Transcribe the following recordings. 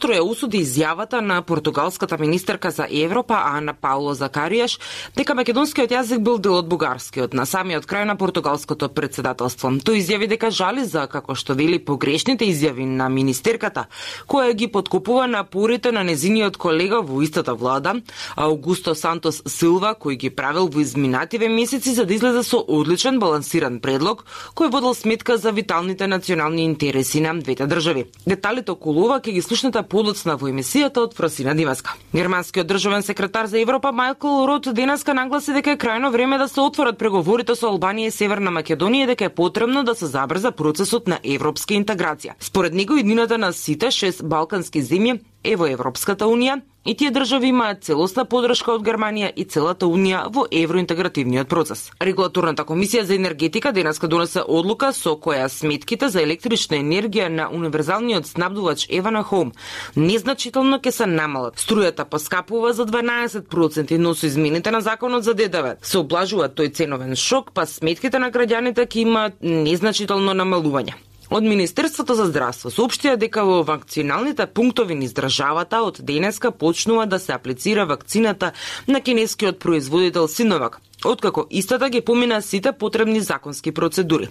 Троја осуди изјавата на португалската министерка за Европа Ана Пауло Закаријаш дека македонскиот јазик бил дел од бугарскиот на самиот крај на португалското председателство. Тој изјави дека жали за, како што вели, погрешните изјави на министерката, која ги подкупува напорите на незиниот колега во истата влада, Аугусто Сантос Силва, кој ги правил во изминативе месеци за да излезе со одличен балансиран предлог кој водел сметка за виталните национални интереси на двете држави. Деталите околу ова ќе ги слушнете подоцна во емисијата од Фросина Димаска. Германскиот државен секретар за Европа Майкл Рот денеска нагласи дека е крајно време да се отворат преговорите со Албанија и Северна Македонија и дека е потребно да се забрза процесот на европска интеграција. Според него иднината на сите 6 балкански земји е во Европската унија и тие држави имаат целосна подршка од Германија и целата унија во евроинтегративниот процес. Регулаторната комисија за енергетика денеска донесе одлука со која сметките за електрична енергија на универзалниот снабдувач Евана Хоум незначително ќе се намалат. Струјата поскапува за 12%, но со измените на законот за ДДВ се облажува тој ценовен шок, па сметките на граѓаните ќе имаат незначително намалување. Од Министерството за здравство соопштија дека во вакциналните пунктови низ државата од денеска почнува да се аплицира вакцината на кинескиот производител Синовак, откако истата ги помина сите потребни законски процедури.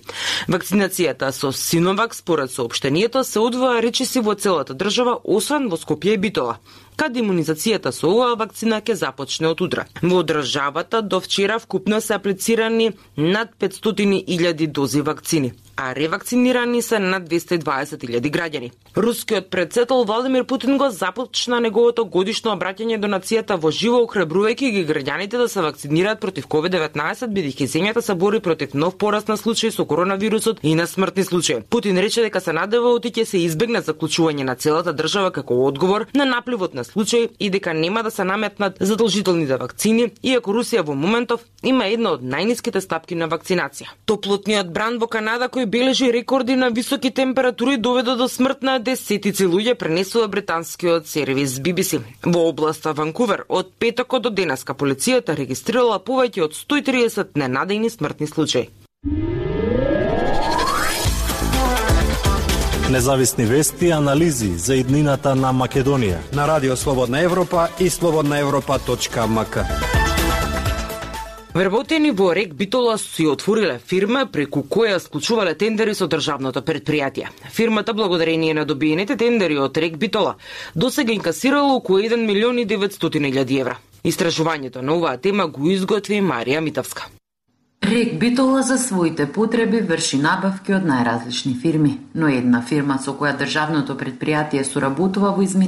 Вакцинацијата со Синовак, според соопштението, се одвива речиси во целата држава, освен во Скопје и Битола, каде имунизацијата со оваа вакцина ќе започне од утре. Во државата до вчера вкупно се аплицирани над 500.000 дози вакцини, а ревакцинирани се над 220.000 граѓани. Рускиот претседател Владимир Путин го започна неговото годишно обраќање до нацијата во живо, охрабрувајќи ги граѓаните да се вакцинираат против COVID-19, бидејќи земјата се бори против нов пораст на случаи со коронавирусот и на смртни случаи. Путин рече дека се надева оти ќе се избегне заклучување на целата држава како одговор на напливот на случаи и дека нема да се наметнат задолжителните вакцини, иако Русија во моментов има една од најниските стапки на вакцинација. Топлотниот бран во Канада, кој бележи рекорди на високи температури, доведе до смрт на десетици луѓе, пренесува британскиот сервис BBC. Во областа Ванкувер од петокот до денеска полицијата регистрирала повеќе од 130 ненадејни смртни случаи. Независни вести и анализи за иднината на Македонија на Радио Слободна Европа и slobodnaevropa.mk. Вработени во РЕК Битола си отвориле фирма преку која склучувале тендери со државното предпријатие. Фирмата, благодарение на добиените тендери од РЕК Битола, досега инкасирала околу 1.900.000 евра. Истражувањето на оваа тема го изготви Марија Митовска. РЕК Битола за своите потреби врши набавки од најразлични фирми, но една фирма со која државното предпријатие соработува во